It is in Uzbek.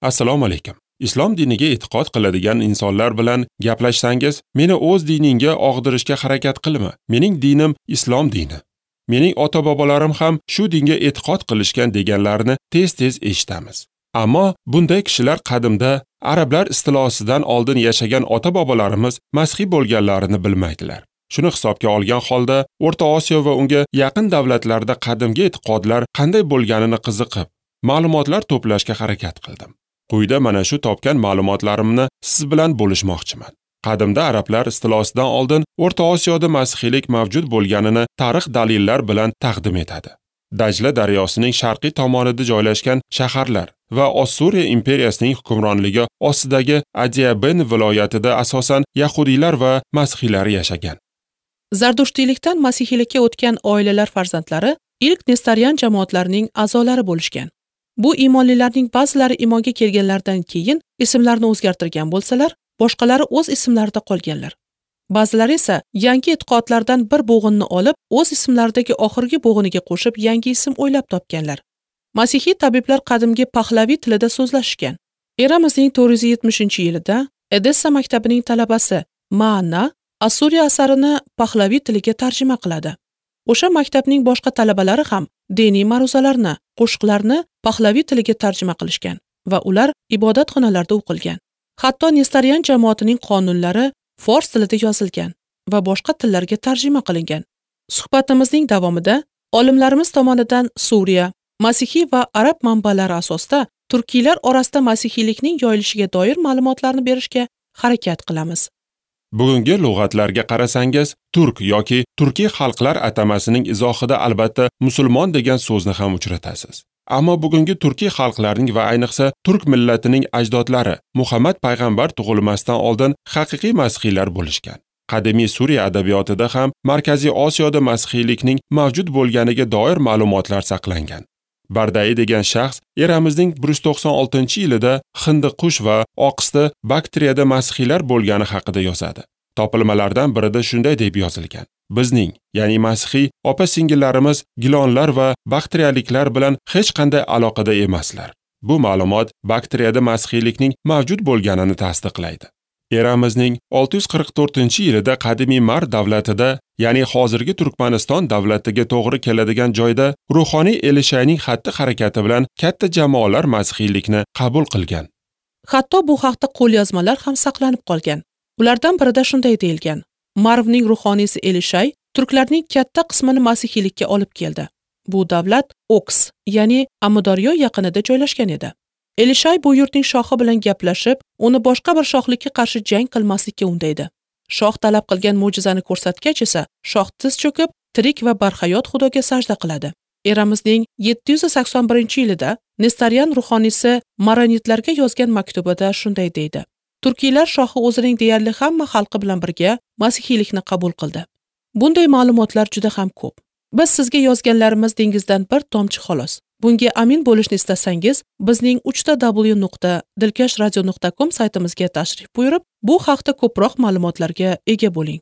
Assalomu alaykum. Islom diniga e'tiqod qiladigan insonlar bilan gaplashsangiz, meni o'z diningga og'dirishga harakat qilma. Mening dinim islom dini. Mening ota-bobolarim ham shu dinga e'tiqod qilishgan deganlarini tez-tez eshitamiz. Ammo bunday kishilar qadimda arablar istilosidan oldin yashagan ota-bobolarimiz masihiy bo'lganlarini bilmaydilar. Shuni hisobga olgan holda O'rta Osiyo va unga yaqin davlatlarda qadimgi e'tiqodlar qanday bo'lganini qiziqib, ma'lumotlar to'plashga harakat qildim. Quyida mana shu topgan ma'lumotlarimni siz bilan bo'lishmoqchiman. Qadimda arablar istilosidan oldin O'rta Osiyoda masihiylik mavjud bo'lganini tarix dalillar bilan taqdim etadi. Dajla daryosining sharqiy tomonida joylashgan shaharlar va Ossuriya imperiyasining hukmronligi ostidagi Adiaben viloyatida asosan yahudiylar va masihiylar yashagan. Zardushtiylikdan masihiylikka o'tgan oilalar farzandlari ilk Nestorian jamoatlarining a'zolari bo'lishgan. Bu iymonlilarning ba'zilari iymonga kelganlaridan keyin ismlarini o'zgartirgan bo'lsalar, boshqalari o'z ismlarida qolganlar. Ba'zilari esa yangi e'tiqodlardan bir bo'g'inni olib, o'z ismlaridagi oxirgi bo'g'iniga qo'shib yangi ism o'ylab topganlar. Masihiy tabiblar qadimgi pahlaviy tilida so'zlashgan. Eramizning 470-yilida Edessa maktabining talabasi Maana Assuriya asarini pahlaviy tiliga tarjima qiladi. O'sha maktabning boshqa talabalari ham diniy ma'ruzalarni, qo'shiqlarni pahlaviy tiliga tarjima qilishgan va ular ibodatxonalarda o'qilgan. Hatto Nestorian jamoatining qonunlari fors tilida yozilgan va boshqa tillarga tarjima qilingan. Suhbatimizning davomida olimlarimiz tomonidan Suriya, masihiy va arab manbalari asosida turkiylar orasida masihiylikning yoyilishiga doir ma'lumotlarni berishga harakat qilamiz. Bugungi lug'atlarga qarasangiz, turk yoki turkiy xalqlar atamasining izohida albatta musulmon degan so'zni ham uchratasiz. Ammo bugungi turkiy xalqlarning va ayniqsa turk millatining ajdodlari Muhammad payg'ambar tug'ilmasdan oldin haqiqiy masihiylar bo'lishgan. Qadimiy Suriya adabiyotida ham Markaziy Osiyoda masihiylikning mavjud bo'lganiga doir ma'lumotlar saqlangan. Bardai degan shaxs eramizning 196-yilida Hindiqush va Oqisda Baktriyada masihiylar bo'lgani haqida yozadi. Topilmalardan birida shunday deb yozilgan: Bizning, ya'ni masihiy opa-singillarimiz gilonlar va baktriyaliklar bilan hech qanday aloqada emaslar. Bu ma'lumot Baktriyada masihiylikning mavjud bo'lganini tasdiqlaydi. Eramizning 644-yilida qadimiy Mar davlatida, ya'ni hozirgi Turkmaniston davlatiga to'g'ri keladigan joyda ruhoniy Elishayning xatti-harakati bilan katta jamoalar masihiylikni qabul qilgan. Hatto bu haqda qo'lyozmalar ham saqlanib qolgan. Ulardan birida shunday deyilgan: Marvning ruhoniysi Elishay turklarning katta qismini masihiylikka olib keldi. Bu davlat Oks, ya'ni Amudaryo yaqinida joylashgan edi. Elishay bu yurtning shohi bilan gaplashib, uni boshqa bir shohlikka qarshi jang qilmaslikka undaydi. Shoh talab qilgan mo'jizani ko'rsatgach esa, shoh tiz cho'kib, tirik va barhayot Xudoga sajda qiladi. Eramizning 781-yilida Nestorian ruhoniysi Maronitlarga yozgan maktubida shunday deydi: Turkiylar shohi o'zining deyarli hamma xalqi bilan birga masihiylikni qabul qildi. Bunday ma'lumotlar juda ham ko'p. Biz sizga yozganlarimiz dengizdan bir tomchi xolos. Bunga amin bo'lishni istasangiz, bizning www.dilkashradio.com saytimizga tashrif buyurib, bu haqda ko'proq ma'lumotlarga ega bo'ling.